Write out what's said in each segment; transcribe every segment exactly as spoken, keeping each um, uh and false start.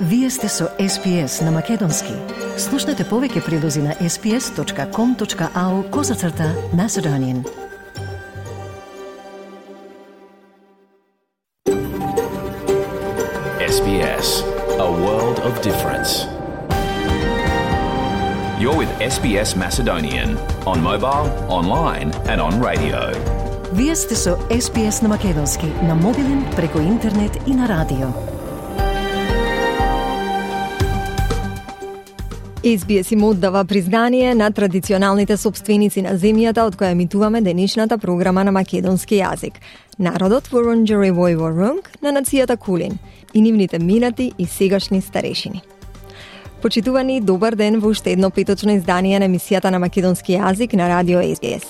Вие сте со Ес Би Ес на Македонски. Слушнете повеќе прилози на ес би ес точка ком точка ау козацрта Macedonian. Ес Би Ес, a world of difference. You're with Ес Би Ес Macedonian on mobile, online and on radio. Вие сте со Ес Би Ес на Македонски, на мобилен, преку интернет и на радио. Ес Би Ес им оддава признание на традиционалните собственици на земјата од која емитуваме денешната програма на македонски јазик. Народот Вурундџери Војворунг на нацијата Кулин и нивните минати и сегашни старешини. Почитувани, добар ден во уште едно петочно издание на емисијата на македонски јазик на радио Ес Би Ес.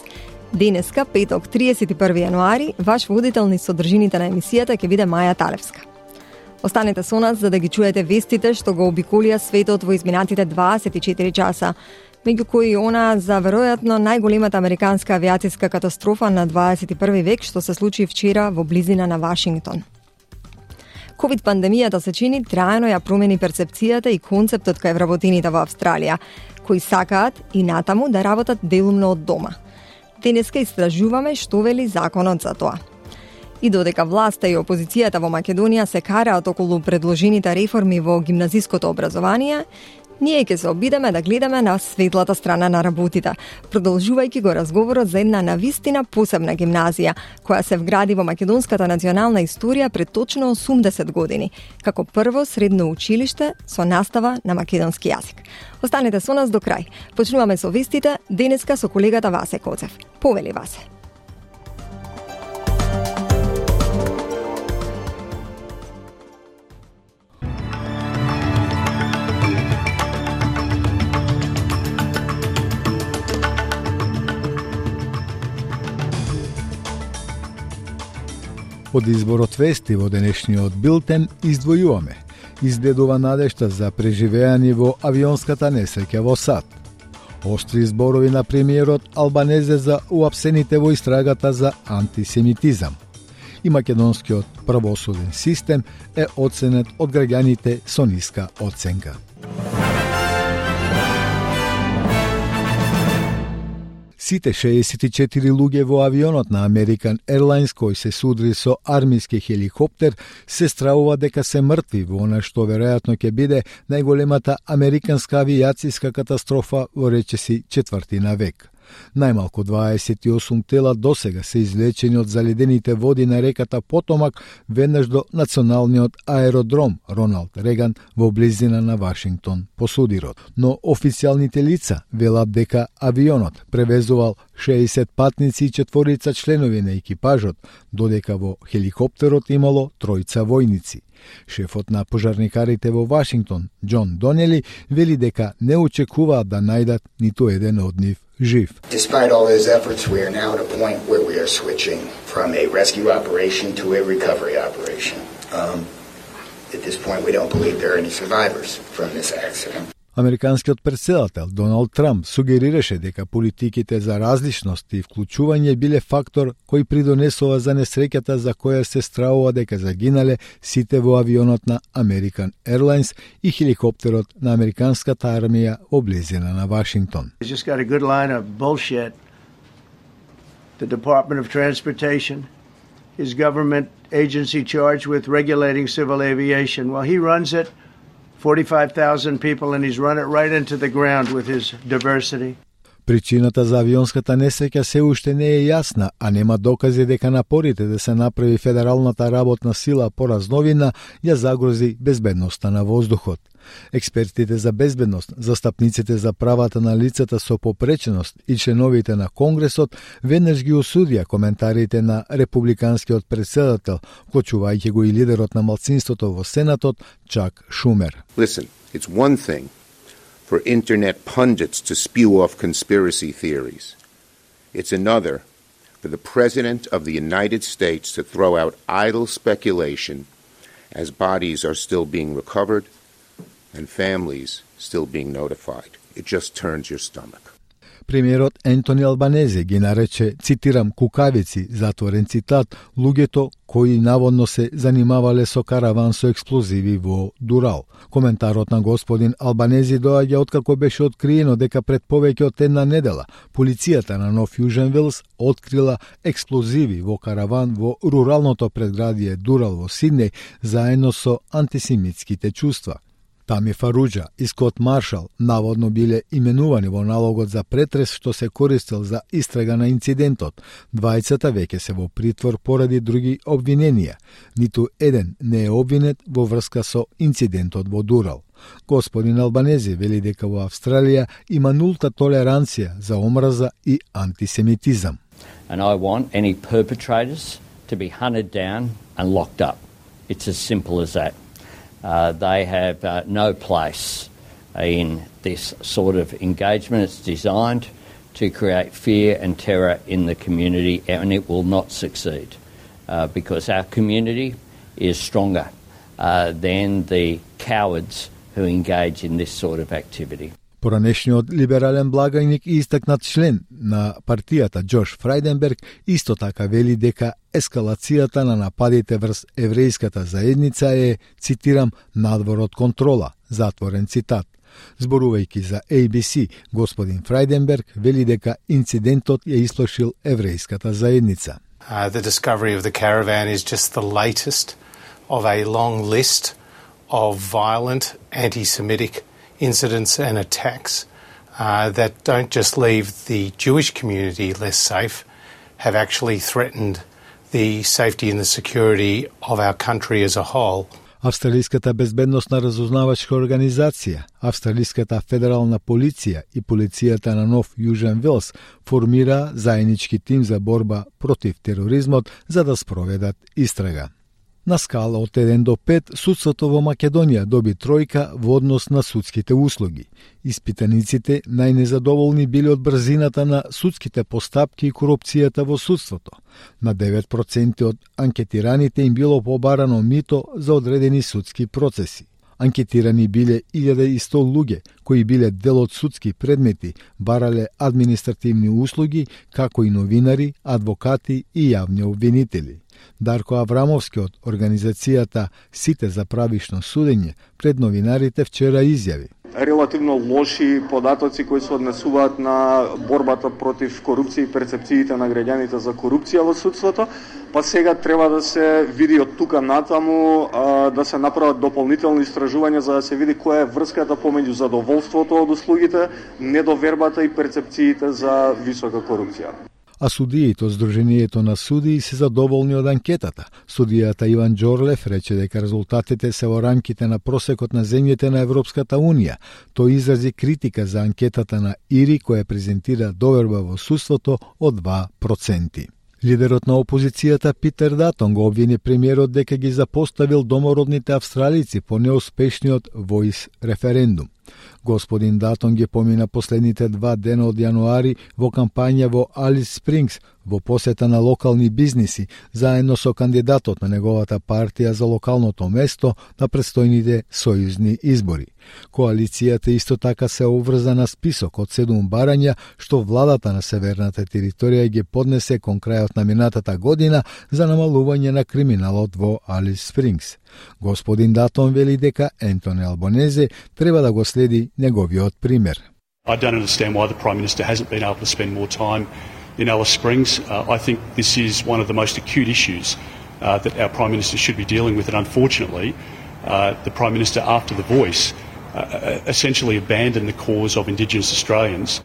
Денеска, петок, триесет и први јануари, ваш водител низ содржините на емисијата ќе биде Маја Талевска. Останете со нас за да ги чуете вестите што го обиколија светот во изминатите дваесет и четири часа, меѓу кои она за веројатно најголемата американска авиацијска катастрофа на дваесет и први век што се случи вчера во близина на Вашингтон. ковид пандемијата се чини трајно ја промени перцепцијата и концептот кај вработените во Австралија, кои сакаат и натаму да работат делумно од дома. Денеска истражуваме што вели законот за тоа. И додека власта и опозицијата во Македонија се караат околу предложените реформи во гимназиското образование, ние ќе се обидеме да гледаме на светлата страна на работите, продолжувајќи го разговорот за една навистина посебна гимназија, која се вгради во македонската национална историја пред точно осумдесет години, како прво средно училиште со настава на македонски јазик. Останете со нас до крај. Почнуваме со вестите, денеска со колегата Васе Коцев. Повели, Васе. Од изборот вести во денешниот билтен издвојуваме. Изгледува надежта за преживеање во авионската несреќа во САД. Оштри зборови на премиерот Албанезе за уапсените во истрагата за антисемитизам. И македонскиот правосуден систем е оценет од граѓаните со ниска оценка. Сите шеесет и четири луѓе во авионот на American Airlines кој се судри со армиски хеликоптер се стравува дека се мртви во она што веројатно ќе биде најголемата американска авиацијска катастрофа во речиси четвртина век. Најмалку дваесет и осум тела досега се извлечени од заледените води на реката Потомак веднаш до националниот аеродром Роналд Реган во близина на Вашингтон по судирот. Но официјалните лица велат дека авионот превезувал шеесет патници и четворица членови на екипажот, додека во хеликоптерот имало тројца војници. Шефот на пожарникарите во Вашингтон, Џон Донели, вели дека не очекуваат да најдат ниту еден од нив жив. Despite all those efforts, we are now at a point where we are switching from a rescue operation to a recovery operation. Um, at this point, we don't believe there are any survivors from this accident. Американскиот претседател Доналд Трамп сугерираше дека политиките за различност и вклучување биле фактор кој придонесува за несреќата за која се стравува дека загинале сите во авионот на American Airlines и хеликоптерот на американската армија во близина на Вашингтон. He's just got a good line of bullshit. The Department of Transportation, his government agency charged with regulating civil aviation. Well, he runs it forty-five thousand people and he's run it right into the ground with his diversity. Причината за авионската несреќа се уште не е јасна, а нема докази дека напорите да се направи федералната работна сила поразновина ја загрози безбедноста на воздухот. Експертите за безбедност, застапниците за правата на лицата со попреченост и членовите на Конгресот веднаш ги осудија коментарите на републиканскиот претседател, вклучувајќи го и лидерот на малцинството во Сенатот, Чак Шумер. Listen, it's one thing for internet pundits to spew off conspiracy theories. It's another for the President of the United States to throw out idle speculation as bodies are still being recovered and families still being notified. It just turns your stomach. Премиерот Ентони Албанезе ги нарече, цитирам, кукавици, затворен цитат, луѓето кои наводно се занимавале со караван со експлозиви во Дурал. Коментарот на господин Албанези доаѓа откако беше откриено дека пред повеќе од една недела полицијата на Нов Јужен Велс открила експлозиви во караван во руралното предградие Дурал во Сиднеј заедно со антисемитските чувства. Тами Фаруџа и Скот Маршал наводно биле именувани во налогот за претрес што се користел за истрага на инцидентот. Двајцата веќе се во притвор поради други обвиненија. Ниту еден не е обвинет во врска со инцидентот во Дурал. Господин Албанези вели дека во Австралија има нулта толеранција за омраза и антисемитизам. And I want any perpetrators to be hunted down and locked up. It's as simple as that. Uh, they have uh, no place in this sort of engagement. It's designed to create fear and terror in the community, and it will not succeed uh, because our community is stronger uh, than the cowards who engage in this sort of activity. Поранешниот либерален благајник и истакнат член на партијата Џош Фрајденберг исто така вели дека ескалацијата на нападите врз еврејската заедница е, цитирам, надвор од контрола, затворен цитат. Зборувајќи за A B C, господин Фрајденберг вели дека инцидентот ја исплашил еврејската заедница. Uh, the discovery of the caravan is just the latest of a long list of violent anti-Semitic incidents and attacks uh, that don't just leave the Jewish community less safe, have actually threatened the safety and the security of our country as a whole. Австралиската безбедносна разузнавачка организација, Австралиската федерална полиција и полицијата на Нов Јужен Велс формира заеднички тим за борба против тероризмот за да спроведат истрага. На скала од еден до пет, судството во Македонија доби тројка во однос на судските услуги. Испитаниците најнезадоволни биле од брзината на судските постапки и корупцијата во судството. На девет проценти од анкетираните им било побарано мито за одредени судски процеси. Анкетирани биле илјада и сто луѓе кои биле дел од судски предмети, барале административни услуги, како и новинари, адвокати и јавни обвинители. Дарко Аврамовски од организацијата Сите за правишно судење пред новинарите вчера изјави: релативно лоши податоци кои се однесуваат на борбата против корупција и перцепциите на граѓаните за корупција во судството, па сега треба да се види од тука натаму, а, да се направат дополнителни истражувања за да се види која е врската помеѓу задоволството од услугите, недовербата и перцепциите за висока корупција. А судиите од Сдруженијето на судии се задоволни од анкетата. Судијата Иван Џорлев рече дека резултатите се во рамките на просекот на земјите на Европската Унија. Тој изрази критика за анкетата на ИРИ која презентира доверба во судството од два проценти. Лидерот на опозицијата Питер Датон го обвини премиерот дека ги запоставил домородните австралици по неуспешниот Voice референдум. Господин Датон ги помина последните два дена од јануари во кампања во Алис Спрингс, во посета на локални бизниси, заедно со кандидатот на неговата партија за локалното место на предстојните сојузни избори. Коалицијата исто така се обврза на список од седум барања што владата на северната територија ги поднесе кон крајот на минатата година за намалување на криминалот во Алис Спрингс. Господин Датон вели дека Ентони Албанезе треба да го следи неговиот пример. I don't understand why the Prime Minister hasn't been able to spend more time in Alice Springs. Uh, I think this is one of the most acute issues uh, that our Prime Minister should be dealing with, and unfortunately, uh, the Prime Minister, after The Voice, uh, essentially abandoned the cause of Indigenous Australians.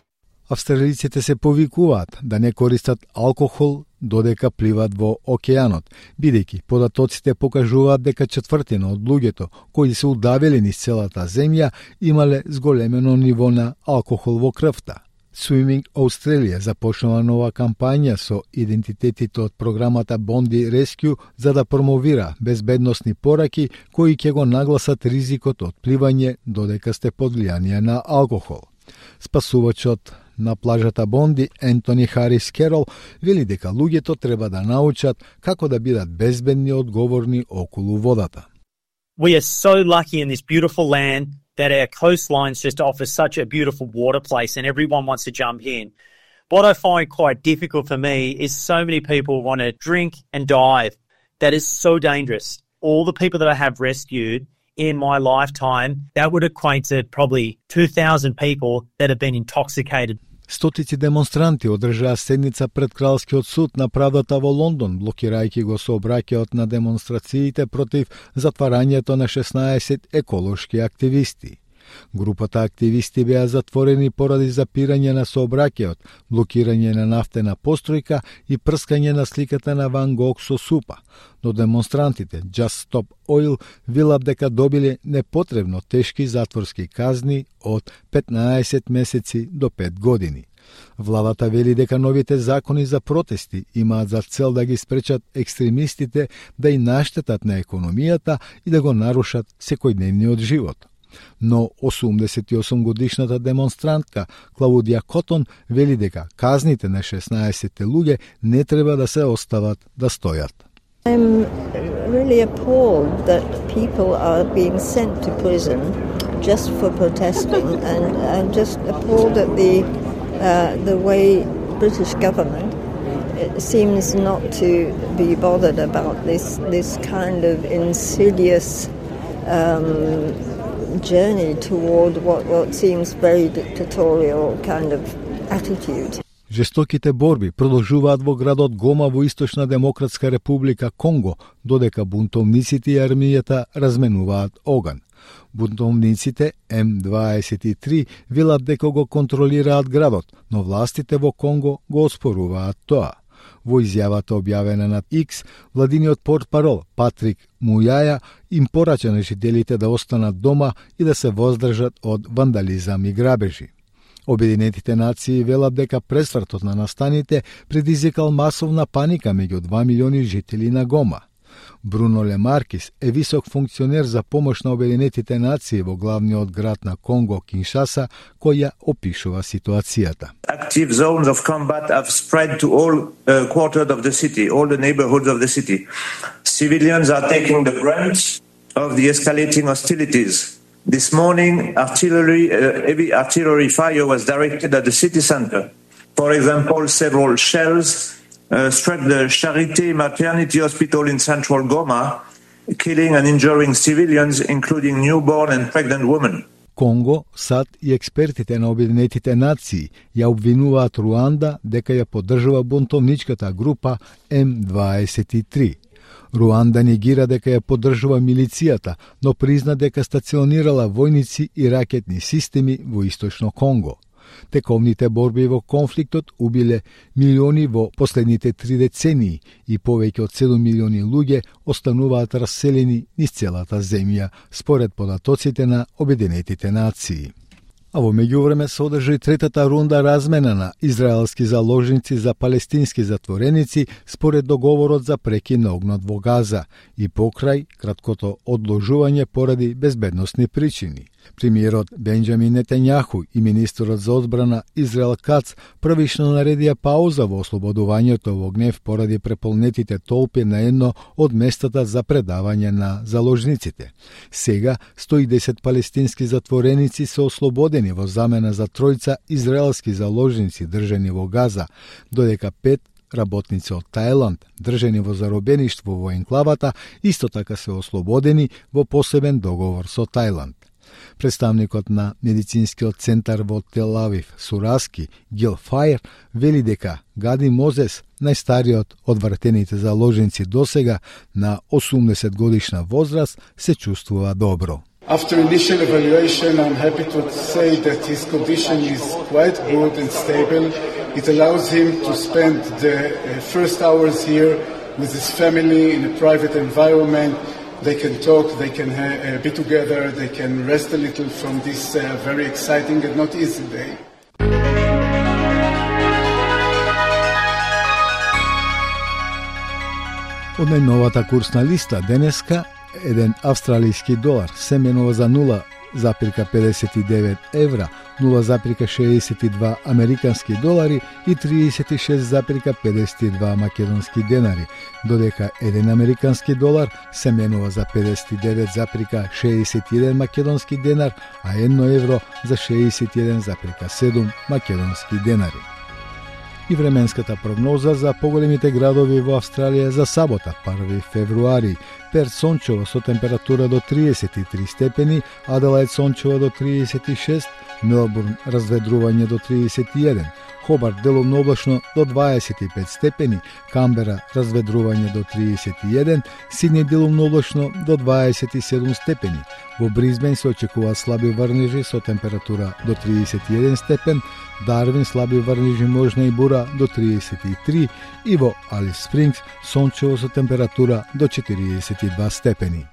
Австралиците се повикуваат да не користат алкохол додека пливат во океанот, бидејќи податоците покажуваат дека четвртина од луѓето кои се удавили низ целата земја имале зголемено ниво на алкохол во крвта. Swimming Australia започнува нова кампања со идентитетите од програмата Bondi Rescue за да промовира безбедносни пораки кои ќе го нагласат ризикот од пливање додека сте под влијание на алкохол. Спасувачот на плажата Бонди, Ентони Харис Керол, вели дека луѓето треба да научат како да бидат безбедни и одговорни околу водата. We are so lucky in this beautiful land that our coastlines just offer such a beautiful water place and everyone wants to jump in. What I find quite difficult for me is so many people want to drink and dive. That is so dangerous. All the people that I have rescued in my lifetime, that would equate to probably two thousand people that have been intoxicated. Стотици демонстранти одржаа седница пред Кралскиот суд на правдата во Лондон, блокирајќи го сообраќајот на демонстрациите против затварањето на шеснаесет еколошки активисти. Групата активисти беа затворени поради запирање на сообраќајот, блокирање на нафтена постројка и прскање на сликата на Ван Гог со супа. Но демонстрантите Just Stop Oil велат дека добиле непотребно тешки затворски казни од петнаесет месеци до пет години. Владата вели дека новите закони за протести имаат за цел да ги спречат екстремистите да и наштетат на економијата и да го нарушат секојдневниот живот. Но осумдесет и осум годишната демонстрантка Клаудија Котон вели дека казните на шеснаесет луѓе не треба да се остават да стојат. I'm really appalled that people are being sent to prison just for protesting, and I'm just appalled at the uh, the way British government seems not to be bothered about this this kind of insidious um, journey toward what, what seems very dictatorial kind of attitude. Жестоките борби продолжуваат во градот Гома во Источна Демократска република Конго, додека бунтовниците и армијата разменуваат оган. Бунтовниците М дваесет и три велат дека го контролираат градот, но властите во Конго го оспоруваат тоа. Во изјавата објавена на X, владиниот портпарол Патрик Мујаја им порача на жителите да останат дома и да се воздржат од вандализам и грабежи. Обединетите нации велат дека пресвртот на настаните предизвикал масовна паника меѓу два милиони жители на Гома. Бруно Лемаркис е висок функционер за помош на Обединетите нации во главниот град на Конго, Киншаса, кој ја опишува ситуацијата. Active zones of combat have spread to all uh, quarters of the city, all the neighborhoods of the city. Civilians are taking the brunt of the escalating hostilities. This morning, artillery, uh, heavy artillery fire was directed at the city center. For example, several shells uh, struck the Charité Maternity Hospital in central Goma, killing and injuring civilians, including newborn and pregnant women. Конго, САД и експертите на Обединетите нации ја обвинуваат Руанда дека ја поддржува бунтовничката група М дваесет и три. Руанда негира дека ја поддржува милицијата, но призна дека стационирала војници и ракетни системи во Источно Конго. Тековните борби во конфликтот убиле милиони во последните три децении и повеќе од седум милиони луѓе остануваат раселени низ целата земја, според податоците на Обединетите нации. А во меѓувреме се одржа и третата рунда размена на израелски заложници за палестински затвореници според договорот за прекин на огнот во Газа и покрај краткото одложување поради безбедносни причини. Премиерот Бенџамин Нетањаху и министерот за одбрана Израел Кац првично наредија пауза во ослободувањето во гнев поради преполнетите толпи на едно од местата за предавање на заложниците. Сега сто и десет палестински затвореници се ослободени во замена за тројца израелски заложници држани во Газа, додека пет работници од Тајланд, држани во заробеништво во енклавата, исто така се ослободени во посебен договор со Тајланд. Представникот на медицинскиот центар во Тел Авив, Сураски, Гил Фајер, вели дека Гади Мозес, најстариот од вратените заложници досега на осумдесет годишна возраст, се чувствува добро. After initial evaluation, I'm happy to say that his condition is quite good and stable. It allows him to spend the first hours here with his family in a private environment. They can talk, they can uh, be together, they can rest a little from this uh, very exciting and not easy day. Од најновата курсна листа денеска, еден австралиски долар се менува за нула zarez pedeset devet evra, nula zarez šezdeset dva американски долари и тридесет и шест zarez pedeset dva македонски денари, додека еден американски долар се менува за pedeset devet zarez šezdeset jedan македонски денар, а едно евро за шездесет и еден zarez седум македонски денари. И временската прогноза за поголемите градови во Австралија за сабота, први февруари. Перт сончево со температура до тридесет и три степени, Аделаид сончево до тридесет и шест, Мелбурн разведрување до тридесет и еден, Хобарт делумно облачно до дваесет и пет степени, Камбера разведрување до тридесет и еден, Сидни делумно облачно до дваесет и седум степени. Во Бризбен се очекуваат слаби врнежи со температура до тридесет и еден степен, Дарвин слаби врнежи можна и бура до тридесет и три и во Алис Спрингс сончево со температура до четириесет и два степени.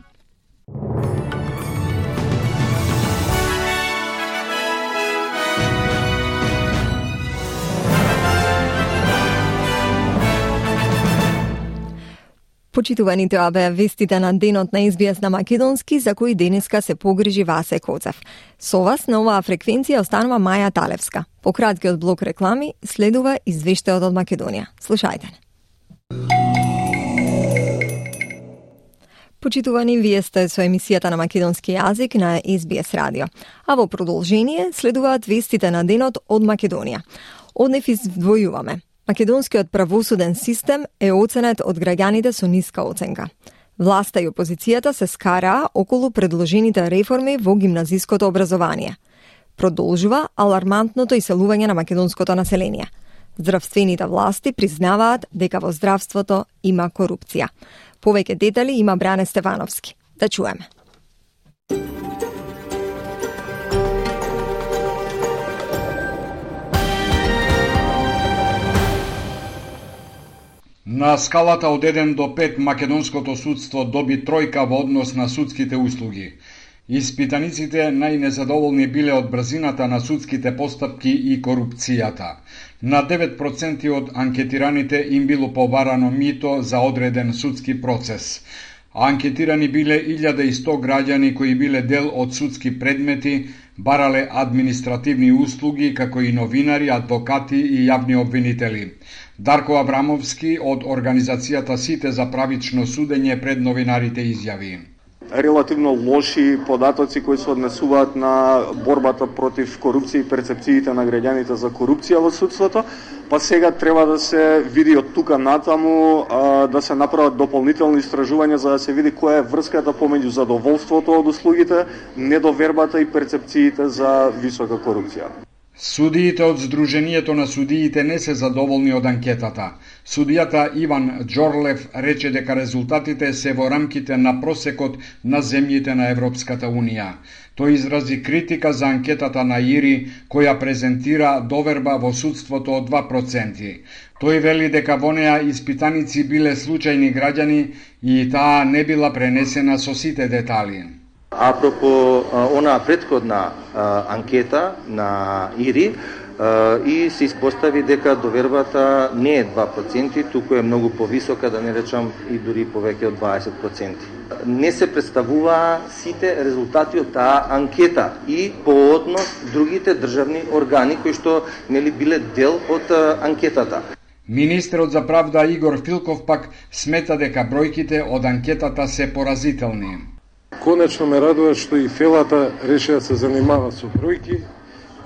Почитувани, тоа беа вестите на денот на Ес Би Ес на македонски, за кои денеска се погрижи Васе Коцев. Со вас на оваа фреквенција останува Маја Талевска. По краткиот блок реклами следува извештајот од Македонија. Слушајте. Почитувани, вие сте со емисијата на македонски јазик на Ес Би Ес радио. А во продолжение следуваат вестите на денот од Македонија. Од нив издвојуваме. Македонскиот правосуден систем е оценет од граѓаните со ниска оценка. Власта и опозицијата се скараа околу предложените реформи во гимназиското образование. Продолжува алармантното иселување на македонското население. Здравствените власти признаваат дека во здравството има корупција. Повеќе детали има Бране Стефановски. Да чуеме. На скалата од еден до пет македонското судство доби тројка во однос на судските услуги. Испитаниците најнезадоволни биле од брзината на судските постапки и корупцијата. На девет проценти од анкетираните им било побарано мито за одреден судски процес. Анкетирани биле илјада и сто граѓани кои биле дел од судски предмети, барале административни услуги, како и новинари, адвокати и јавни обвинители. Дарко Абрамовски од организацијата Сите за правично судење пред новинарите изјави. Релативно лоши податоци кои се однесуваат на борбата против корупција и перцепциите на граѓаните за корупција во судството, па сега треба да се види од тука натаму, а, да се направат дополнителни истражувања за да се види која е врската помеѓу задоволството од услугите, недовербата и перцепциите за висока корупција. Судиите од Сдруженијето на судиите не се задоволни од анкетата. Судијата Иван Џорлев рече дека резултатите се во рамките на просекот на земјите на Европската Унија. Тој изрази критика за анкетата на ИРИ, која презентира доверба во судството од два проценти. Тој вели дека во неа испитаници биле случајни граѓани и таа не била пренесена со сите детали. Апропо она претходна а, анкета на ИРИ а, и се испостави дека довербата не е два проценти, туку е многу повисока, да не речам и дури повеќе од дваесет проценти. Не се представуваа сите резултати од таа анкета и по однос другите државни органи кои што нели биле дел од а, анкетата. Министерот за правда Игор Филков пак смета дека бројките од анкетата се поразителни. Конечно ме радува што и Фелата реши да се занимава со бројки,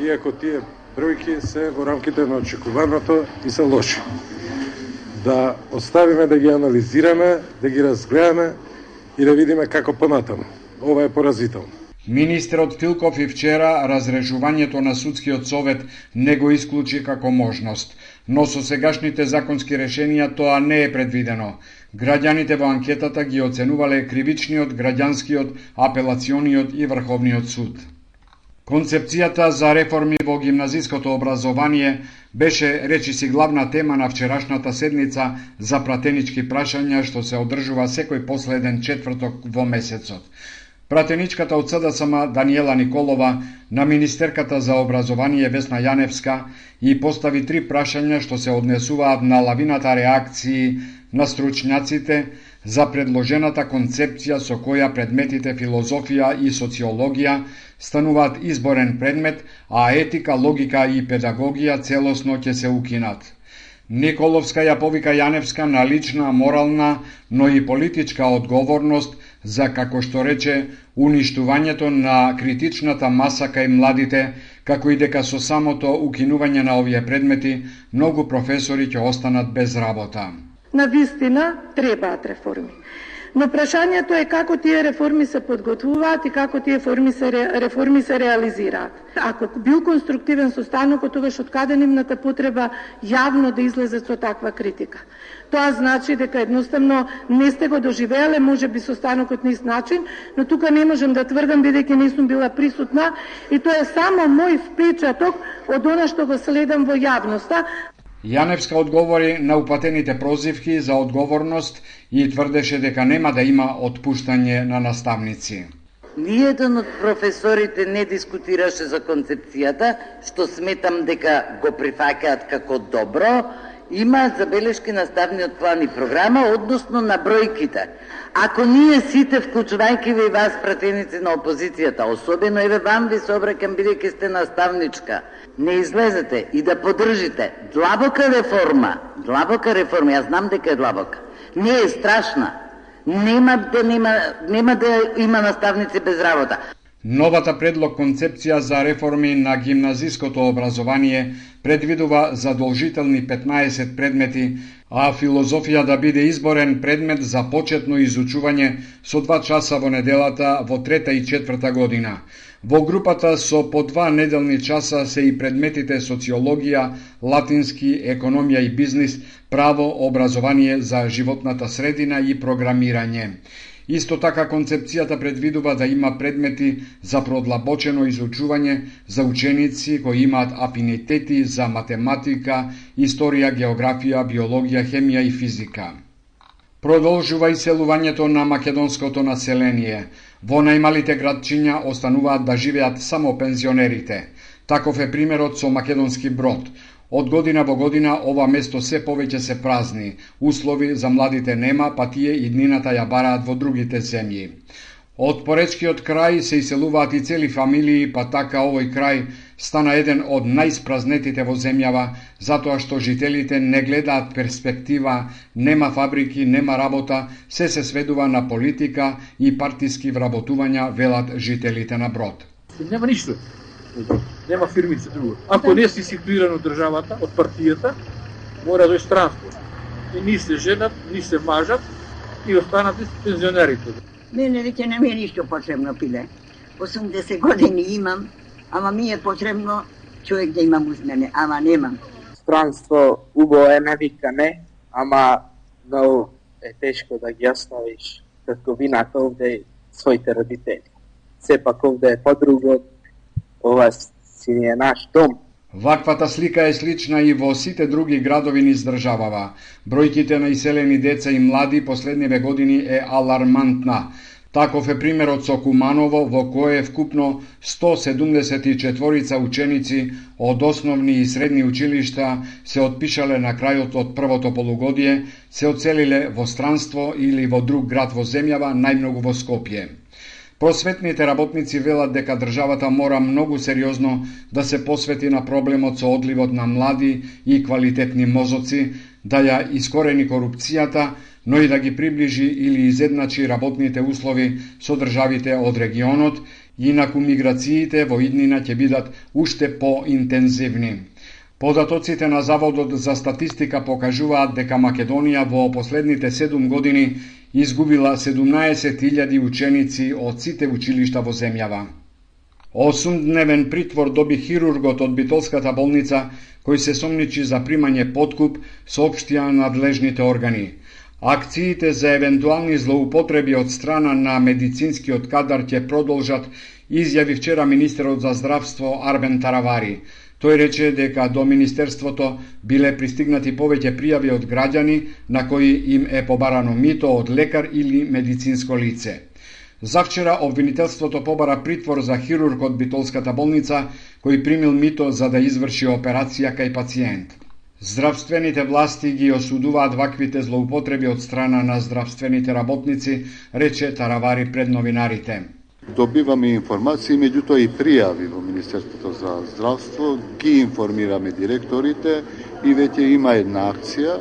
иако тие бројки се во рамките на очекуваното и се лоши. Да оставиме да ги анализираме, да ги разгледаме и да видиме како понатаму. Ова е поразително. Министерот Филков и вчера разрешувањето на судскиот совет не го исклучи како можност, но со сегашните законски решенија тоа не е предвидено. Граѓаните во анкетата ги оценувале кривичниот, граѓанскиот, апелациониот и врховниот суд. Концепцијата за реформи во гимназиското образование беше, речиси, главна тема на вчерашната седница за пратенички прашања што се одржува секој последен четврток во месецот. Пратеничката од С Д С М Даниела Николова на Министерката за образование Весна Јаневска и постави три прашања што се однесуваат на лавината реакции на стручњаците за предложената концепција со која предметите филозофија и социологија стануваат изборен предмет, а етика, логика и педагогија целосно ќе се укинат. Николовска ја повика Јаневска на лична, морална, но и политичка одговорност за, како што рече, уништувањето на критичната маса кај младите, како и дека со самото укинување на овие предмети многу професори ќе останат без работа. Навистина требаат реформи. Но прашањето е како тие реформи се подготвуваат и како тие реформи се, реформи се реализираат. Ако бил конструктивен состанокот, тогаш откаде нивната потреба јавно да излезе со таква критика? Тоа значи дека едноставно не сте го доживееле, може би состанокот на ист начин, но тука не можем да тврдам бидејќи не сум била присутна и тоа е само мој впечаток од она што го следам во јавноста. Јаневска одговори на упатените прозивки за одговорност и тврдеше дека нема да има отпуштање на наставници. Ниеден од професорите не дискутираше за концепцијата, што сметам дека го прифаќаат како добро. Има забелешки на ставниот план и програма, односно на бројките. Ако ние сите, вклучувајќи ви вас, пратеници на опозицијата, особено еве вам ви се обраќам бидејќи сте наставничка, не излезете и да поддржите длабока реформа, длабока реформа, јас знам дека е длабока, не е страшна, нема да, нема, нема да има наставници без работа. Новата предлог концепција за реформи на гимназиското образование предвидува задолжителни петнаесет предмети, а филозофија да биде изборен предмет за почетно изучување со два часа во неделата во трета и четврта година. Во групата со по два неделни часа се и предметите социологија, латински, економија и бизнис, право, образование за животната средина и програмирање. Исто така концепцијата предвидува да има предмети за продлабочено изучување за ученици кои имаат афинитети за математика, историја, географија, биологија, хемија и физика. Продолжува иселувањето на македонското население. Во најмалите градчиња остануваат да живеат само пензионерите. Таков е примерот со Македонски Брод. Од година во година ова место се повеќе се празни. Услови за младите нема, па тие иднината ја бараат во другите земји. Од поречкиот крај се иселуваат и цели фамилии, па така овој крај стана еден од најспразнетите во земјава, затоа што жителите не гледаат перспектива, нема фабрики, нема работа, се се сведува на политика и партиски вработувања, велат жителите на Брод. Нема ништо. Нема фирмица друго. Ако не си ситуиран од државата, од партијата, мора да е транспорт. И ни се женат, ни се мажат и останат пензионерите. Мене веќе не ми е ништо потребно, пиле. осумдесет години имам, ама ми е потребно човек да имам уз мене, ама немам. Странство убаво е, не вика не, ама многу е тешко да ги оставиш татковината овде своите родители. Сепак овде е подруго, ова си не е наш дом. Ваквата слика е слична и во сите други градови низ државава. Бројките на иселени деца и млади последниве години е алармантна. Таков е примерот со Куманово, во кое вкупно сто седумдесет и четворица ученици од основни и средни училишта се отпишале на крајот од првото полугодие, се оцелиле во странство или во друг град во земјава, најмногу во Скопје. Просветните работници велат дека државата мора многу сериозно да се посвети на проблемот со одливот на млади и квалитетни мозоци, да ја искорени корупцијата, но и да ги приближи или изедначи работните услови со државите од регионот, инаку миграциите во иднина ќе бидат уште поинтензивни. Податоците на Заводот за статистика покажуваат дека Македонија во последните седум години изгубила седумнаесет илјади ученици од сите училишта во земјава. Осумдневен притвор доби хирургот од Битолската болница, кој се сомничи за примање подкуп, соопштија надлежните органи. Акциите за евентуални злоупотреби од страна на медицинскиот кадар ќе продолжат, изјави вчера министерот за здравство Арбен Таравари. Тој рече дека до Министерството биле пристигнати повеќе пријави од граѓани на кои им е побарано мито од лекар или медицинско лице. Завчера обвинителството побара притвор за хирург од Битолската болница кој примил мито за да изврши операција кај пациент. Здравствените власти ги осудуваат ваквите злоупотреби од страна на здравствените работници, рече Таравари пред новинарите. Добиваме информации, меѓутоа и пријави во Министерството за здравство, ги информираме директорите и веќе има една акција.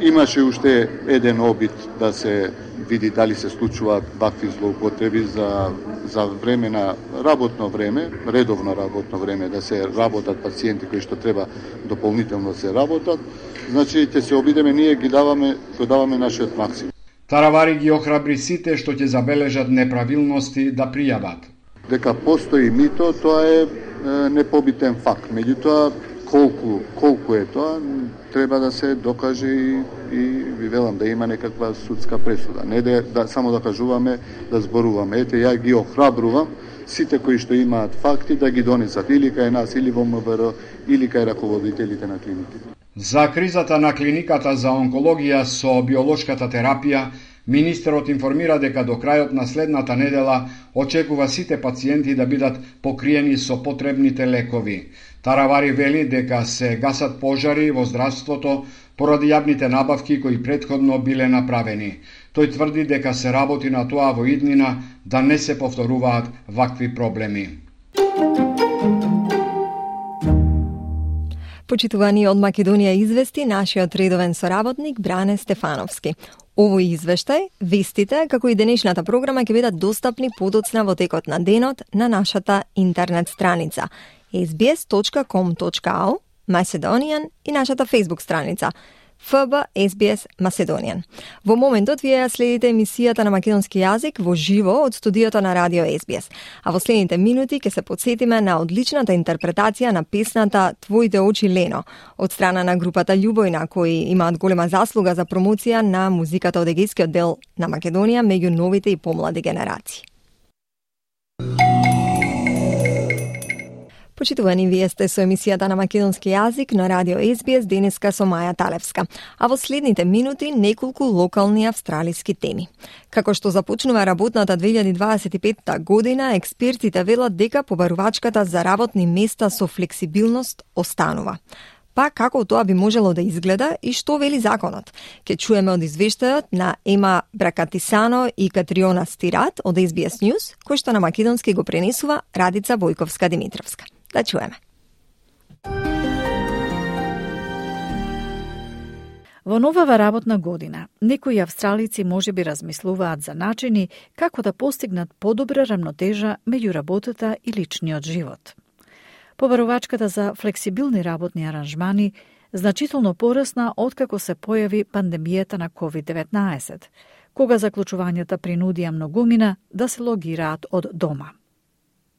Имаше уште еден обид да се види дали се случуваат вакви злоупотреби за, за време на работно време, редовно работно време, да се работат пациенти кои што треба дополнително се работат. Значи, ќе се обидеме, ние ги даваме, го даваме нашиот максимум. Таравари ги охрабри сите што ќе забележат неправилности да пријават. Дека постои мито, тоа е, е непобитен факт. Меѓутоа, колку, колку е тоа, треба да се докаже и, и ви велам да има некаква судска пресуда. Не да, да само да кажуваме, да зборуваме. Ете, ја ги охрабрувам сите кои што имаат факти да ги донесат или кај нас, или во М В Р, или кај раководителите на клиниките. За кризата на клиниката за онкологија со биолошката терапија, министерот информира дека до крајот на следната недела очекува сите пациенти да бидат покриени со потребните лекови. Таравари вели дека се гасат пожари во здравството поради јавните набавки кои претходно биле направени. Тој тврди дека се работи на тоа во иднина да не се повторуваат вакви проблеми. Почитувани од Македонија извести нашиот редовен соработник Бране Стефановски. Овој извештај, вестите, како и денешната програма ќе бидат достапни подоцна во текот на денот на нашата интернет страница ес би ес точка ком точка ау Macedonian и нашата Facebook страница Ф Б Ес Би Ес Macedonian. Во моментот вие ја следите емисијата на македонски јазик во живо од студиото на Радио Ес Би Ес. А во следните минути ќе се подсетиме на одличната интерпретација на песната Твоите очи Лено од страна на групата Љубојна, кои имаат голема заслуга за промоција на музиката од егејскиот дел на Македонија меѓу новите и помлади генерации. Почитувани, вие сте со емисијата на македонски јазик на Радио Ес Би Ес денеска со Маја Талевска. А во следните минути неколку локални австралиски теми. Како што започнува работната две илјади дваесет и петта година, експертите велат дека побарувачката за работни места со флексибилност останува. Па како тоа би можело да изгледа и што вели законот? Ке чуеме од извештајот на Ема Бракатисано и Катриона Стират од Ес Би Ес News, кој што на македонски го пренесува Радица Бојковска-Димитровска. Да чуеме. Во новава работна година, некои австралици можеби размислуваат за начини како да постигнат подобра рамнотежа меѓу работата и личниот живот. Побарувачката за флексибилни работни аранжмани значително порасна откако се појави пандемијата на ковид деветнаесет, кога заклучувањата принудија многумина да се логираат од дома.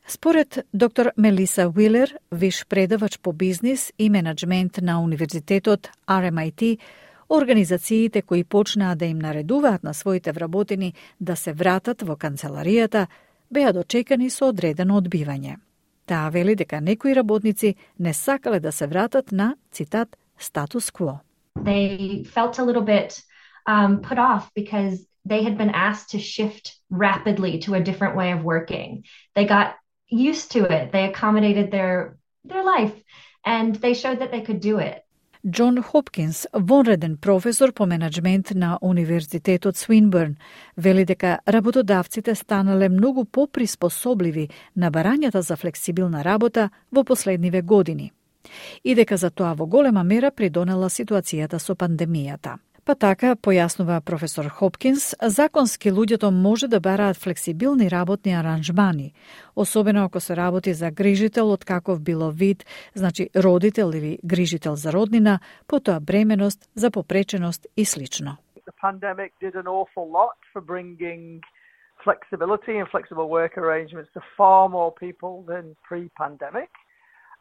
Според доктор Мелиса Уилер, виш предавач по бизнис и менеджмент на Универзитетот Ар Ем Ай Ти, организациите кои почнаа да им наредуваат на своите вработени да се вратат во канцеларијата, беа дочекани со одредено одбивање. Таа вели дека некои работници не сакале да се вратат на, цитат, статус кво. They felt a little bit um, put off because they had been asked to shift rapidly to a different way of working. They got used to it. They accommodated their their life and they showed that they could do it. Џон Хопкинс, вонреден професор по менеджмент на Универзитетот Свинбърн, вели дека работодавците станале многу поприспособливи на барањата за флексибилна работа во последниве години и дека за тоа во голема мера придонела ситуацијата со пандемијата. Па така, појаснува професор Хопкинс, законски луѓето може да бараат флексибилни работни аранжмани, особено ако се работи за грижител од каков било вид, значи родител или грижител за роднина, потоа бременост, за попреченост и слично. The pandemic did an awful lot for bringing flexibility and flexible work arrangements to far more people than pre-pandemic.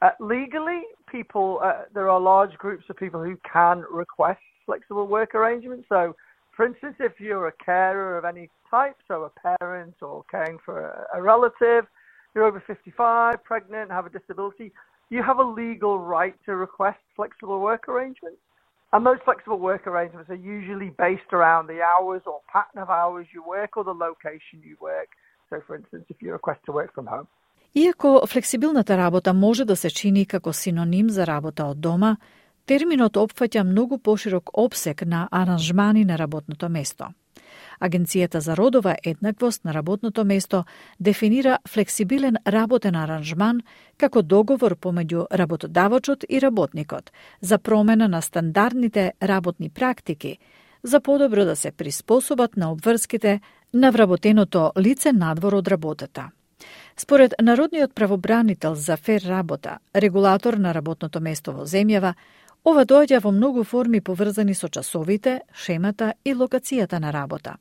Uh, legally, people, uh, there are large groups of people who can request flexible work arrangements. So, for instance, if you're a carer of any type, so a parent or caring for a, a relative, you're over fifty-five, pregnant, have a disability, you have a legal right to request flexible work arrangements. And those flexible work arrangements are usually based around the hours or pattern of hours you work or the location you work. So, for instance, if you request to work from home. Иако флексибилната работа може да се чини како синоним за работа од дома, терминот опфаќа многу поширок опсег на аранжмани на работното место. Агенцијата за родова еднаквост на работното место дефинира флексибилен работен аранжман како договор помеѓу работодавачот и работникот за промена на стандардните работни практики, за подобро да се приспособат на обврските на вработеното лице надвор од работата. Според Народниот правобранител за фер работа, регулатор на работното место во земјава, ова доаѓа во многу форми поврзани со часовите, шемата и локацијата на работа.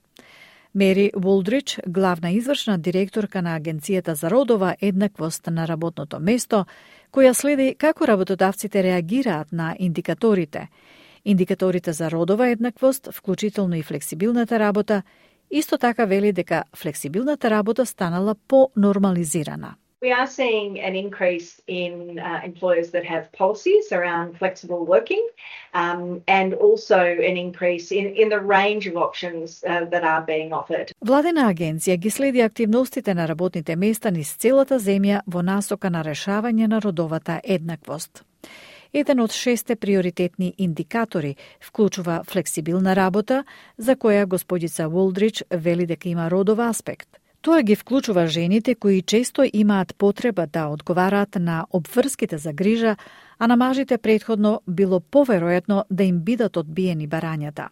Мери Вулдрич, главна извршна директорка на Агенцијата за родова еднаквост на работното место, која следи како работодавците реагираат на индикаторите, индикаторите за родова еднаквост, вклучително и флексибилната работа, исто така вели дека флексибилната работа станала по-нормализирана. We are seeing an increase in uh, employers that have policies around flexible working um, and also an increase in, in the range of options uh, that are being offered. Владена агенција ги следи активностите на работните места низ целата земја во насока на решавање на родовата еднаквост. Еден од шесте приоритетни индикатори вклучува флексибилна работа, за која господица Вулдрич вели дека има родов аспект. Тоа ги вклучува жените кои често имаат потреба да одговараат на обврските за грижа, а на мажите претходно било поверојатно да им бидат одбиени барањата.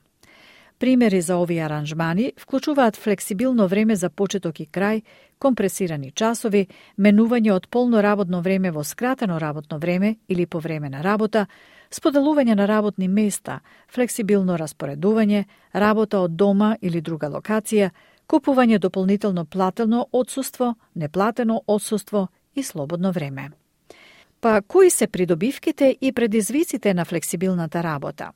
Примери за овие аранжмани вклучуваат флексибилно време за почеток и крај, компресирани часови, менување од полно работно време во скратено работно време или по време на работа, споделување на работни места, флексибилно распоредување, работа од дома или друга локација, купување дополнително платено отсуство, неплатено отсуство и слободно време. Па кои се придобивките и предизвиците на флексибилната работа?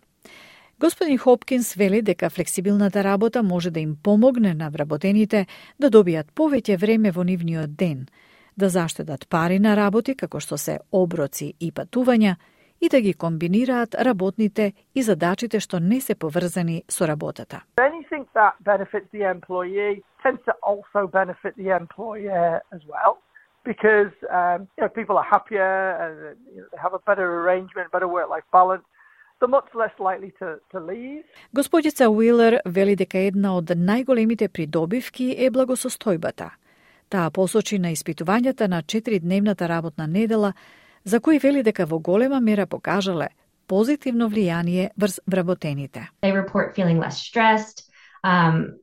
Господин Хопкинс вели дека флексибилната работа може да им помогне на вработените да добијат повеќе време во нивниот ден, да заштедат пари на работи како што се оброци и патувања и да ги комбинираат работните и задачите што не се поврзани со работата. Anything that benefits the employee tends to also benefit the employer as well, because um, you know, people are happier and you know, they have a better arrangement, better work-life balance. They're much less likely to, to leave. Господица Уилер вели дека една од најголемите придобивки е благосостојбата. Таа посочи на испитувањата на четиридневната работна недела, за кои вели дека во голема мера покажале позитивно влијание врз вработените. They report feeling less stressed, um,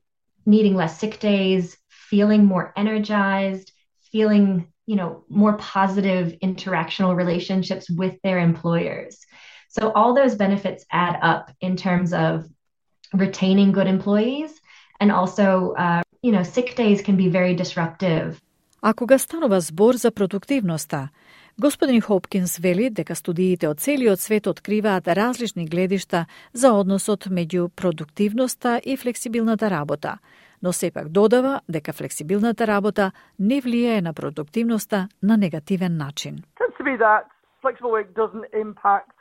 needing less sick days, feeling more energized, feeling, you know, more positive interactional relationships with their employers. So all those benefits add up in terms of retaining good employees and also, uh, you know, sick days can be very disruptive. А кога станува збор за продуктивноста, господин Хопкинс вели дека студиите од целиот свет откриваат различни гледишта за односот меѓу продуктивноста и флексибилната работа, но сепак додава дека флексибилната работа не влијае на продуктивноста на негативен начин. Tends to be that flexible work doesn't impact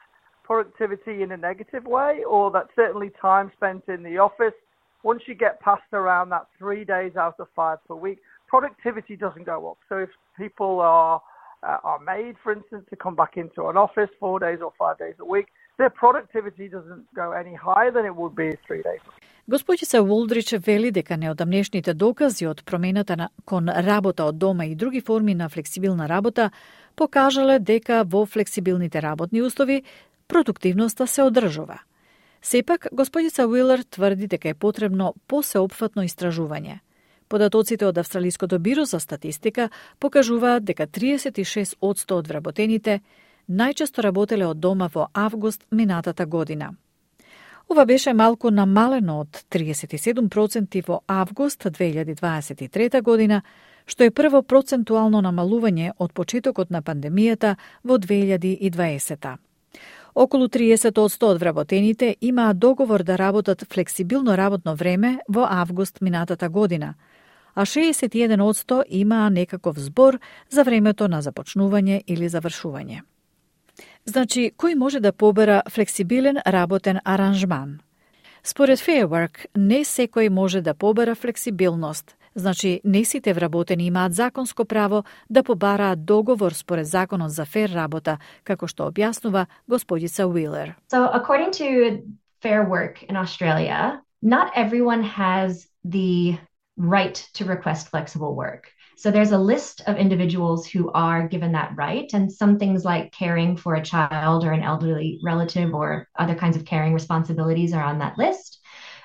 productivity in a negative way, or that certainly time spent in the office, once you get past around that three days out of five per week, productivity doesn't go up. So if people are uh, are made, for instance, to come back into an office four days or five days a week, their productivity doesn't go any higher than it would be three days. Господица Вулдрич вели дека неодамнешните докази од промената на, кон работа од дома и други форми на флексибилна работа покажале дека во флексибилните работни услови продуктивноста се одржува. Сепак, господица Уилер тврди дека е потребно посеопфатно истражување. Податоците од Австралиското биро за статистика покажуваат дека триесет и шест одсто од вработените најчесто работеле од дома во август минатата година. Ова беше малку намалено од триесет и седум проценти во август две илјади дваесет и трета година, што е прво процентуално намалување од почетокот на пандемијата во две илјади и дваесета. Околу триесет одсто од вработените имаат договор да работат флексибилно работно време во август минатата година, а шеесет и еден одсто имаа некаков збор за времето на започнување или завршување. Значи, кој може да побера флексибилен работен аранжман? Според Fair Work, не секој може да побера флексибилност, Значи, не сите вработени имаат законско право да побараат договор според законот за фер работа, како што објаснува господица Уилер. So, according to Fair Work in Australia, not everyone has the right to request flexible work. So there's a list of individuals who are given that right, and some things like caring for a child or an elderly relative or other kinds of caring responsibilities are on that list,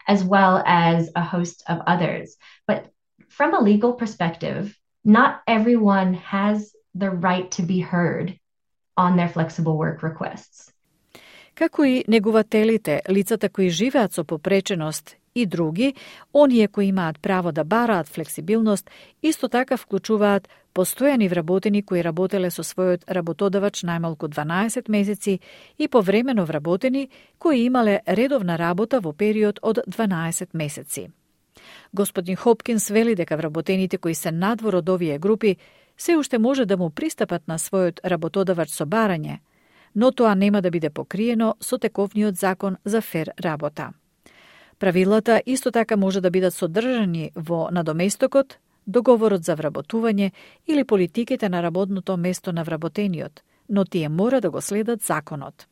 as well as a host of others. But from a legal perspective, not everyone has the right to be heard on their flexible work requests. Како и негувателите, лицата кои живеат со попреченост и други, оние кои имаат право да бараат флексибилност, исто така вклучуваат постојани вработени кои работеле со својот работодавач најмалку дванаесет месеци и повремено вработени кои имале редовна работа во период од дванаесет месеци. Господин Хопкинс вели дека вработените кои се надвор од овие групи се уште може да му пристапат на својот работодавач со барање, но тоа нема да биде покриено со тековниот закон за фер работа. Правилата исто така може да бидат содржани во надоместокот, договорот за вработување или политиките на работното место на вработениот, но тие мора да го следат законот.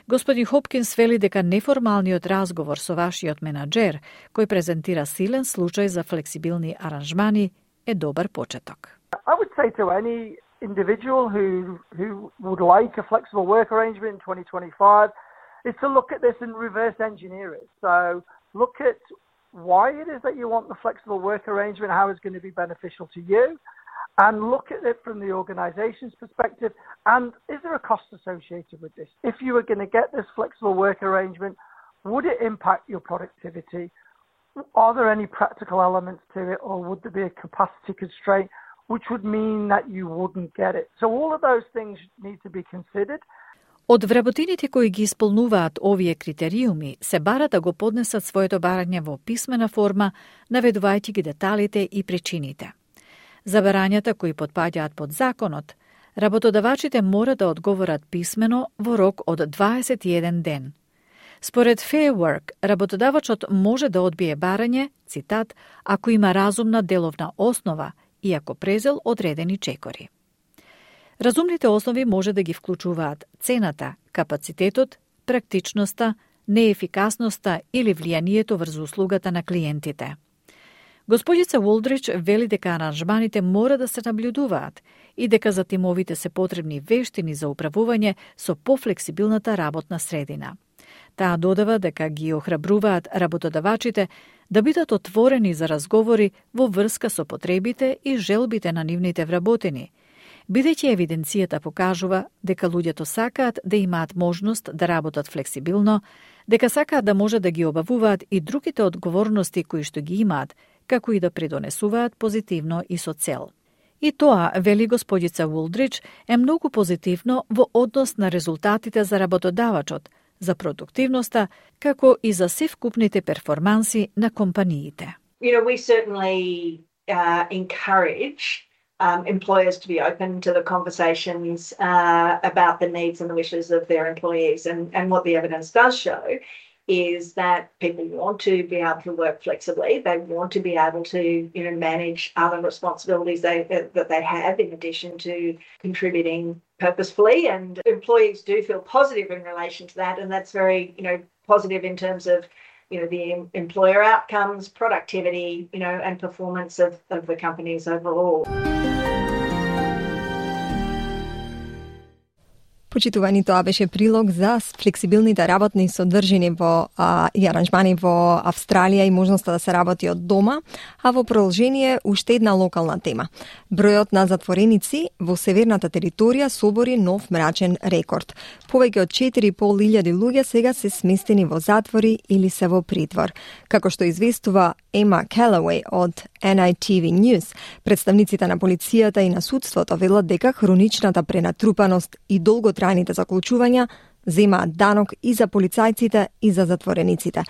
Господин Хопкинс вели дека неформалниот разговор со вашиот менаџер, кој презентира силен случај за флексибилни аранжмани, е добар почеток. I would say to any individual who who would like a flexible work arrangement in twenty twenty-five is to look at this and reverse engineer it. So look at why it is that you want the flexible work arrangement, how it's going to be beneficial to you, and look at it from the organization's perspective, and is there a cost associated with this? If you were going to get this flexible work arrangement, would it impact your productivity? Are there any practical elements to it, or would there be a capacity constraint which would mean that you wouldn't get it? So all of those things need to be considered. Од вработените кои ги исполнуваат овие критериуми, се бара да го поднесат своето барање во писмена форма, наведувајќи ги деталите и причините. За барањата кои потпаѓаат под законот, работодавачите мора да одговорат писмено во рок од дваесет и еден ден. Според Fair Work, работодавачот може да одбие барање, цитат, ако има разумна деловна основа и ако презел одредени чекори. Разумните основи може да ги вклучуваат цената, капацитетот, практичноста, неефикасноста или влијанието врз услугата на клиентите. Господица Уолдрич вели дека аранжманите мора да се наблюдуваат и дека за тимовите се потребни вештини за управување со пофлексибилната работна средина. Таа додава дека ги охрабруваат работодавачите да бидат отворени за разговори во врска со потребите и желбите на нивните вработени, бидејќи евиденцијата покажува дека луѓето сакаат да имаат можност да работат флексибилно, дека сакаат да може да ги обавуваат и другите одговорности кои што ги имаат, како и да придонесуваат позитивно и со цел. И тоа, вели господица Уолдрич, е многу позитивно во однос на резултатите за работодавачот, за продуктивноста, како и за севкупните перформанси на компаниите. You know, we certainly uh, encourage Um, employers to be open to the conversations uh, about the needs and the wishes of their employees. And, and what the evidence does show is that people want to be able to work flexibly. They want to be able to, you know, manage other responsibilities they, that they have in addition to contributing purposefully. And employees do feel positive in relation to that. And that's very, you know, positive in terms of you know, the employer outcomes, productivity, you know, and performance of, of the companies overall. Почитувани, тоа беше прилог за флексибилните работни содржини во а, и аранжмани во Австралија и можноста да се работи од дома, а во продолжение уште една локална тема. Бројот на затвореници во северната територија собори нов мрачен рекорд. Повеќе од четири и пол илјади луѓе сега се сместени во затвори или се во притвор. Како што известува Ема Келауеј од Ен Ай Ти Ви News, представниците на полицијата и на судството велат дека хроничната пренатрупаност и долготрајните заклучувања земаат данок и за полицајците и за затворениците.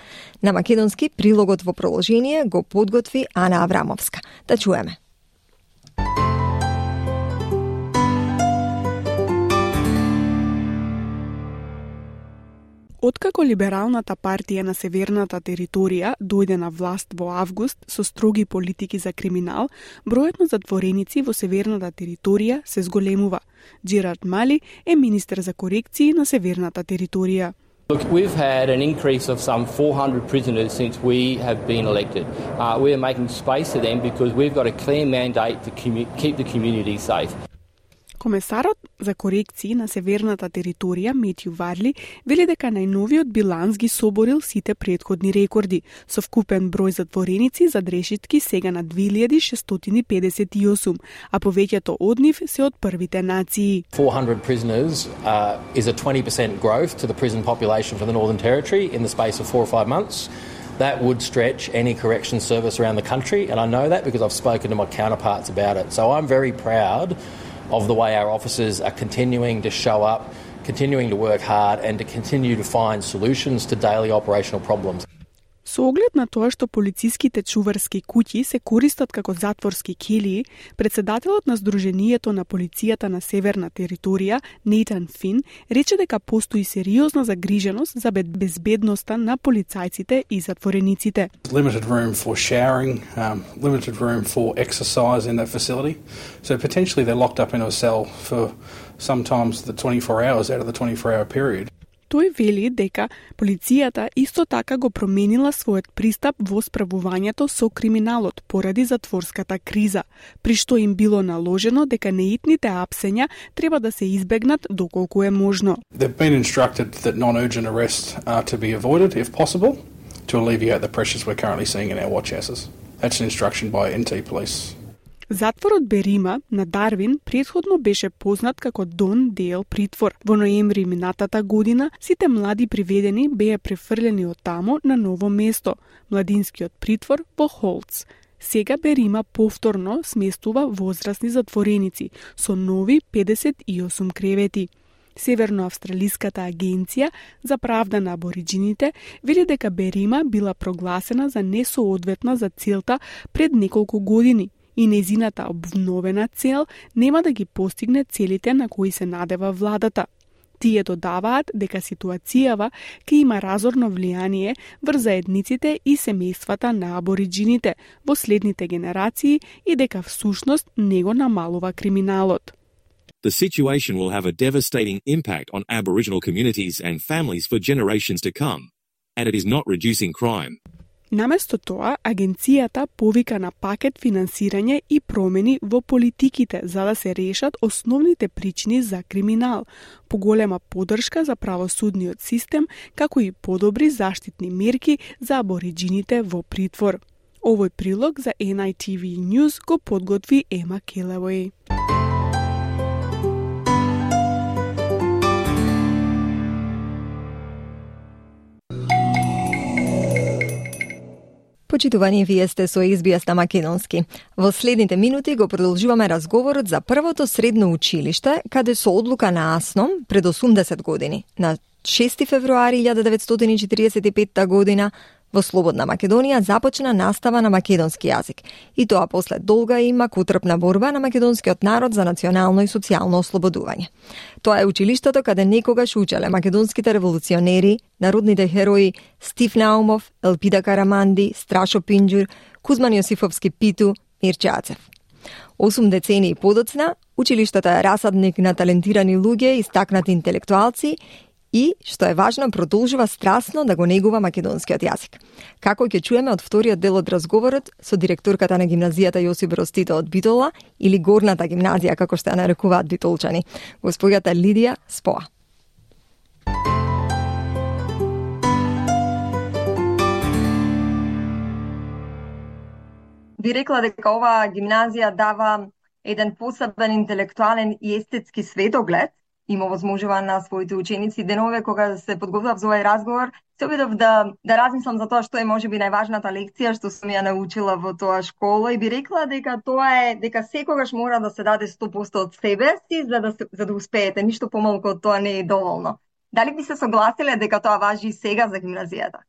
На македонски прилогот во продолжение го подготви Ана Аврамовска. Да чуеме. Откако Либералната партија на Северната територија дојде на власт во август со строги политики за криминал, бројот на затвореници во Северната територија се зголемува. Джерард Мали е министер за корекции на Северната територија. Look, we've had an increase of some four hundred prisoners since we have been elected. Uh, we are making space for them because we've got a clear mandate to commu- keep the community safe. Комесарот за корекции на Северната територија Метју Варли вели дека најновиот биланс ги соборил сите претходни рекорди, со вкупен број затвореници за дрешетки сега на две илјади шестстотини педесет и осум, а повеќето од нив се од првите нации. four hundred prisoners uh, is a twenty percent growth to the prison population for the Northern Territory in the space of four or five months. That would stretch any correction service around the country, and I know that because I've spoken to my counterparts about it. So I'm very proud of the way our officers are continuing to show up, continuing to work hard and to continue to find solutions to daily operational problems. Со оглед на тоа што полициските чуварски куќи се користат како затворски келии, председателот на Сдруженијето на полицијата на Северна територија, Нейтан Фин, рече дека постои сериозна загриженост за безбедноста на полицајците и затворениците. Limited room for showering, um, limited room for exercise in that facility. So potentially they're locked up in a cell for sometimes the twenty-four hours out of the twenty-four hour period. Тој вели дека полицијата исто така го променила својот пристап во справувањето со криминалот поради затворската криза, при што им било наложено дека неитните апсења треба да се избегнат доколку е можно. They've been instructed that non-urgent arrests are to be avoided if possible to alleviate the pressures we're currently seeing in our watch houses. That's an instruction by Н Т Police. Затворот Берима на Дарвин претходно беше познат како Дон Дейл притвор. Во ноември минатата година сите млади приведени беа префрлени од тамо на ново место, младинскиот притвор во Холц. Сега Берима повторно сместува возрастни затвореници со нови педесет и осум кревети. Северноавстралиската агенција за правда на абориџините вели дека Берима била прогласена за несоодветна за целта пред неколку години и незината обновена цел нема да ги постигне целите на кои се надева владата. Тие додаваат дека ситуацијава ќе има разорно влијание врз заедниците и семејствата на абориџините во следните генерации и дека всушност не го намалува криминалот. The situation will have a devastating impact on Aboriginal communities and families for generations to come, and it is not reducing crime. Наместо тоа, агенцијата повика на пакет финансирање и промени во политиките за да се решат основните причини за криминал, поголема поддршка за правосудниот систем, како и подобри заштитни мерки за абориџините во притвор. Овој прилог за Н I T V News го подготви Ема Келевој. Почитувани, вие сте со Ес Би Ес на македонски. Во следните минути го продолжуваме разговорот за првото средно училиште, каде со одлука на АСНОМ пред осумдесет години, на шести февруари илјада деветстотини четиридесет и петта година, во слободна Македонија започна настава на македонски јазик. И тоа после долга и макутрпна борба на македонскиот народ за национално и социјално ослободување. Тоа е училиштето каде некогаш учеле македонските револуционери, народните херои Стив Наумов, Елпида Караманди, Страшо Пинџур, Кузман Јосифовски Питу, Мирче Ацев. Осум децении подоцна, училиштето е расадник на талентирани луѓе, истакнати интелектуалци и, што е важно, продолжува страстно да го негува македонскиот јазик. Како ќе чуеме од вториот дел од разговорот со директорката на гимназијата Јосип Броз Тито од Битола, или горната гимназија, како што ја нарекуваат битолчани, госпоѓата Лидија Споа. Би рекла дека оваа гимназија дава еден посебен интелектуален и естетски светоглед. Има возможува на своите ученици денове кога се подготвував за овој разговор, се обидов да да размислам за тоа што е можеби најважната лекција што сум ја научила во тоа школа и би рекла дека тоа е дека секогаш мора да се даде сто проценти од себе си за да за да успеете, ништо помалку од тоа не е доволно. Дали би се согласиле дека тоа важи и сега за гимназијата?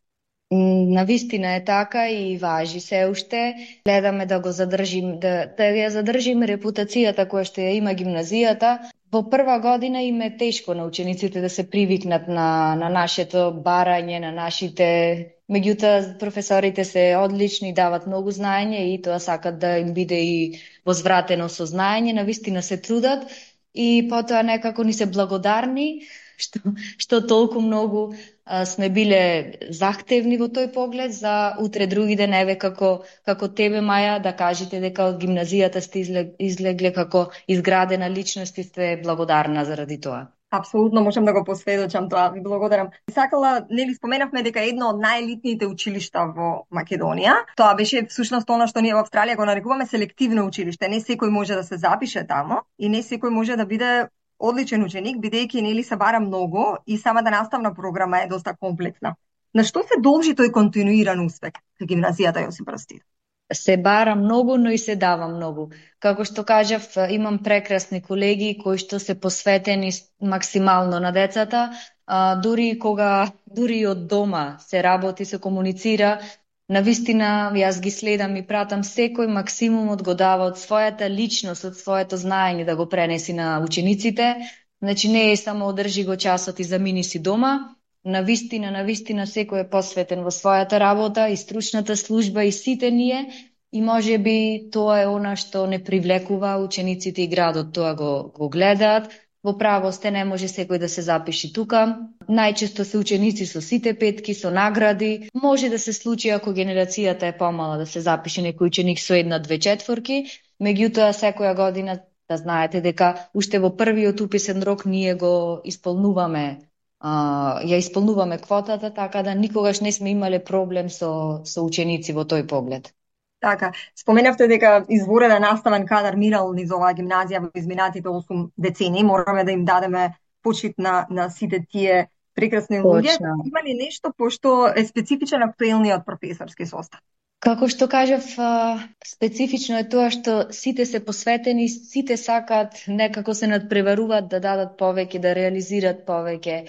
Навистина е така и важи се уште. Гледаме да го задржим, да, да ја задржиме репутацијата која што ја има гимназијата. Во прва година им е тешко на учениците да се привикнат на, на нашето барање, на нашите... Меѓутоа, професорите се одлични, дават многу знаење и тоа сакат да им биде и возвратено со знаење, навистина се трудат и потоа некако ни се благодарни што, што толку многу а, сме биле захтевни во тој поглед за утре други ден, еве како, како тебе, Маја, да кажете дека од гимназијата сте излегле како изградена личност и сте благодарна заради тоа. Апсолутно можам да го посведочам тоа, ви благодарам. Сакала, нели споменавме дека едно од најелитните училишта во Македонија, тоа беше всушност она што ние во Австралија го нарекуваме селективно училиште. Не секој може да се запише тамо и не секој може да биде одличен ученик, бидејќи нели се бара многу и самата наставна програма е доста комплексна. На што се должи тој континуиран успех кај гимназијата Јосип Брз Титов? Се бара многу, но и се дава многу. Како што кажав, имам прекрасни колеги кои што се посветени максимално на децата, а, дури кога дури од дома се работи, се комуницира, навистина јас ги следам и пратам секој максимумот го дава од својата личност, од своето знаење да го пренеси на учениците. Значи не е само одржи го часот и замини си дома. Навистина, навистина секој е посветен во својата работа и стручната служба и сите ние и може би тоа е она што не привлекува учениците и градот, тоа го, го гледаат. Во право сте, не може секој да се запиши тука. Најчесто се ученици со сите петки, со награди. Може да се случи ако генерацијата е помала да се запише некој ученик со една-две четворки, меѓутоа секоја година да знаете дека уште во првиот уписен рок ние го исполнуваме Uh, ја исполнуваме квотата, така да никогаш не сме имале проблем со, со ученици во тој поглед. Така, споменавте дека изворена наставен кадар мирал низ оваа гимназија во изминатите осум децении. Мораме да им дадеме почит на, на сите тие прекрасни луѓе. Има ли нешто пошто е специфичен актуелниот професорски состав? Како што кажав, специфично е тоа што сите се посветени, сите сакаат, некако се надпреваруваат да дадат повеќе, да реализираат повеќе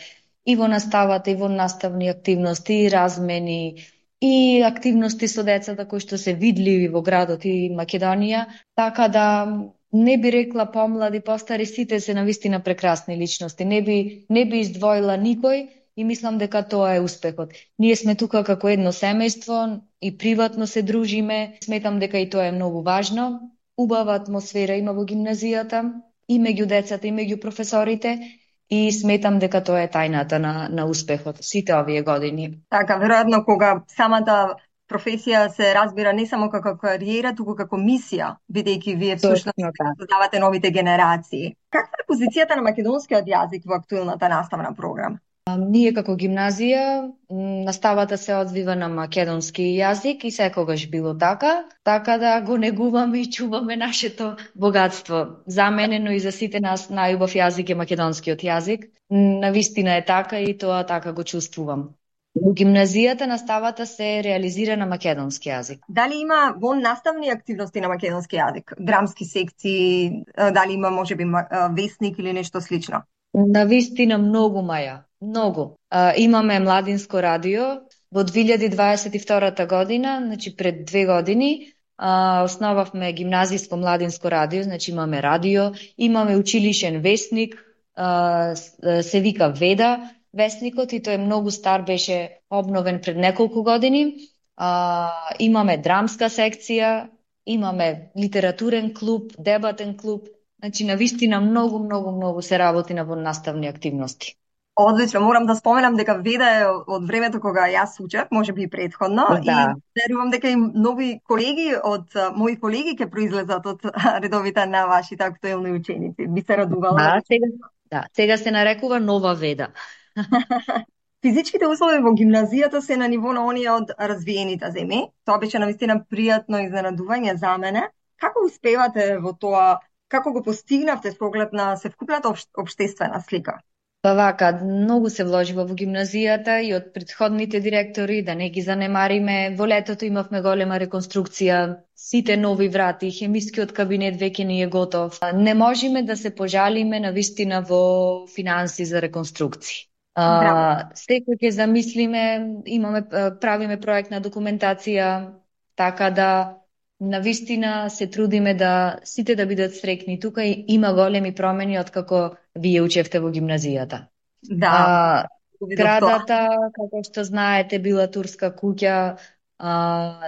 и во наставата, и во наставни активности, и размени, и активности со децата кои што се видливи во градот и Македонија. Така да не би рекла помлади, постари, сите се навистина прекрасни личности. Не би, не би издвоила никој. И мислам дека тоа е успехот. Ние сме тука како едно семејство и приватно се дружиме. Сметам дека и тоа е многу важно. Убава атмосфера има во гимназијата и меѓу децата и меѓу професорите и сметам дека тоа е тајната на, на успехот сите овие години. Така, веројатно кога самата професија се разбира не само како кариера, туку како мисија, бидејќи вие всушност создавате новите генерации. Каква е позицијата на македонскиот јазик во актуелната наставна програма? Ние како гимназија, наставата се одвива на македонски јазик и секогаш било така, така да го негуваме и чуваме нашето богатство. За мене, но и за сите нас најубав јазик е македонскиот јазик. Навистина е така и тоа така го чувствувам. Во гимназијата наставата се реализира на македонски јазик. Дали има во наставни активности на македонски јазик? Драмски секции, дали има можеби весник или нешто слично? Навистина многу, Маја. Многу. А, имаме младинско радио во две илјади дваесет и втора година, значи пред две години, а, основавме гимназиско младинско радио, значи имаме радио, имаме училишен весник, а, се вика Веда весникот и тој е многу стар, беше обновен пред неколку години. А, имаме драмска секција, имаме литературен клуб, дебатен клуб, значи навистина многу, многу, многу се работи на наставни активности. Одлично, морам да споменам дека Веда е од времето кога јас учев, можеби и предходно, да. И верувам дека и нови колеги од мои колеги ќе произлезат од редовите на вашите актуелни ученици. Би се радувала. Да, сега, да, сега се нарекува Нова Веда. Физичките услови во гимназијата се на ниво на оние од развиените земји. Тоа беше навистина пријатно изненадување за мене. Како успевате во тоа? Како го постигнавте со оглед на севкупната општествена слика? Па вака, многу се вложива во гимназијата и од претходните директори, да не ги занемариме. Во летото имавме голема реконструкција, сите нови врати, хемискиот кабинет веќе ни е готов. Не можеме да се пожалиме навистина во финанси за реконструкција. А, секој ќе замислиме, имаме, правиме проектна документација, така да навистина се трудиме да сите да бидат среќни. Тука има големи промени од како вие учевте во гимназијата. Да. А, градата, како што знаете, била турска куќа, а,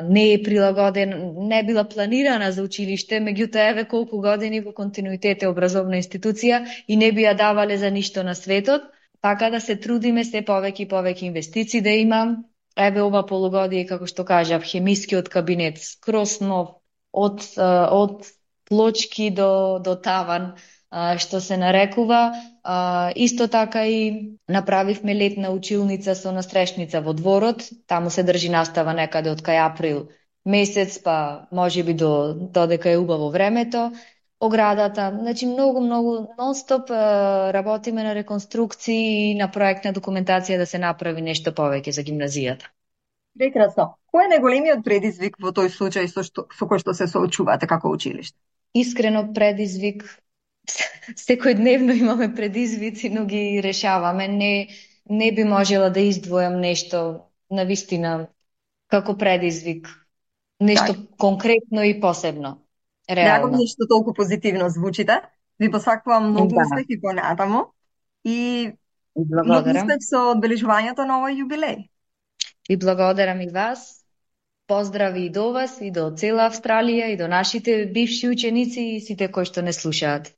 не е прилагоден, не е била планирана за училиште, меѓутоа еве колку години во континуитет е образовна институција и не би ја давале за ништо на светот, така да се трудиме се повеќе и повеќе инвестиции да имам. Еве ова полугодие, како што кажав, хемискиот кабинет скроз нов, од, од плочки до, до таван, што се нарекува. Исто така и направивме летна училница со настрешница во дворот. Таму се држи настава некаде од кај април месец, па можеби до додека е убаво времето. Оградата, значи многу, многу нон-стоп работиме на реконструкции и на проектна документација да се направи нешто повеќе за гимназијата. Прекрасно. Кој е најголемиот предизвик во тој случај со, што, со кој што се соочувате како училиште? Искрено предизвик, секојдневно имаме предизвици, но ги решаваме. Не, не би можела да издвојам нешто навистина како предизвик. Нешто так. Конкретно и посебно. Реално. Драго ми што толку позитивно звучите. Ви посакувам многу да. Успех и понатаму. И многу успех со одбележувањето на овој јубилеј. И благодарам и вас. Поздрави и до вас, и до цела Австралија, и до нашите бивши ученици и сите кои што не слушаат.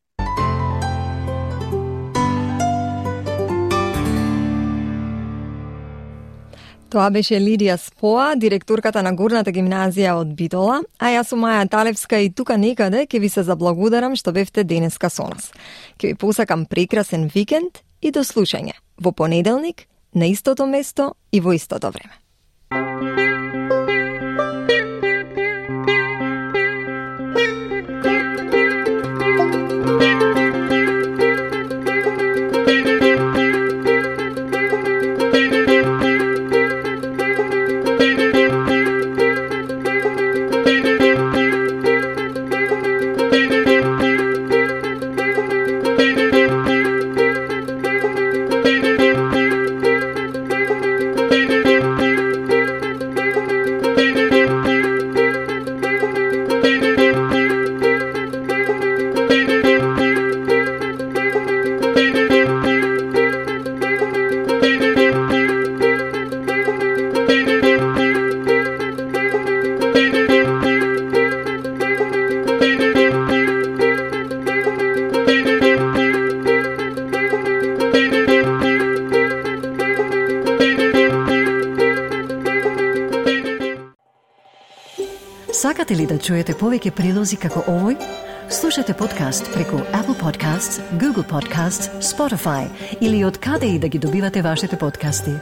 Тоа беше Лидија Споа, директорката на Горната гимназија од Битола, а јас сум Маја Талевска и тука некаде ќе ви се заблагодарам што бевте денеска со нас. Ќе ви посакам прекрасен викенд и до слушање во понеделник на истото место и во истото време. Сакате ли да чуете повеќе прилози како овој? Слушате подкаст преку Apple Podcasts, Google Podcasts, Spotify или од каде и да ги добивате вашите подкасти.